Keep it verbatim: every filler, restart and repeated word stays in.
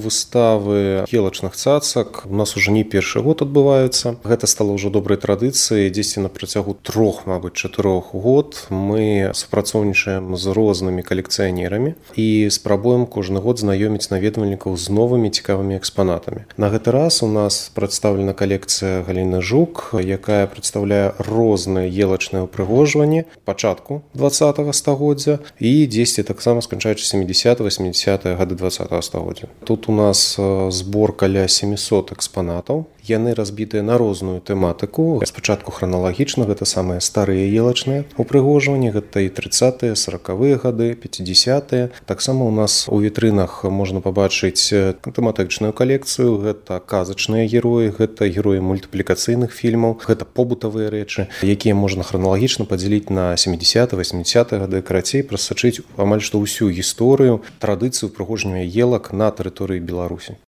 выставы елачных цацак у нас уже не першы год адбываюцца. Гэта стала ўжо добрай традыцыяй. Дзесьці на працягу трох, мабыць, чатырох год мы супрацоўнічаем з рознымі калекцыянерамі і спрабуем кожны год знаёміць наведвальнікаў з новымі цікавымі экспанатамі. На гэты раз у нас прадстаўлена калекцыя Галіны Жук, якая прадстаўляе розныя елачныя ўпрыгожванні пачатку дваццатага стагоддзя і дзесьці таксама сканчаючы сямідзесятыя-васьмідзесятыя гады дваццатага стагоддзя. Тут у нас збор каля сямісот экспанатаў. Яны разбітыя на розную тэматыку. Спачатку храналагічна, гэта самыя старыя елачныя упрыгожванні, гэта і трыццатыя, саракавыя гады, пяцідзесятыя. Таксама у нас у вітрынах можна пабачыць тэматычную калекцыю, гэта казачныя героі, гэта героі мультыплікацыйных фільмаў, гэта побытавыя рэчы, якія можна храналагічна падзяліць на сямідзесятыя, васьмідзесятыя гады, карацей, прасачыць амаль што ўсю гісторыю, традыцыю упрыгожвання елак на тэрыторыі Беларусі.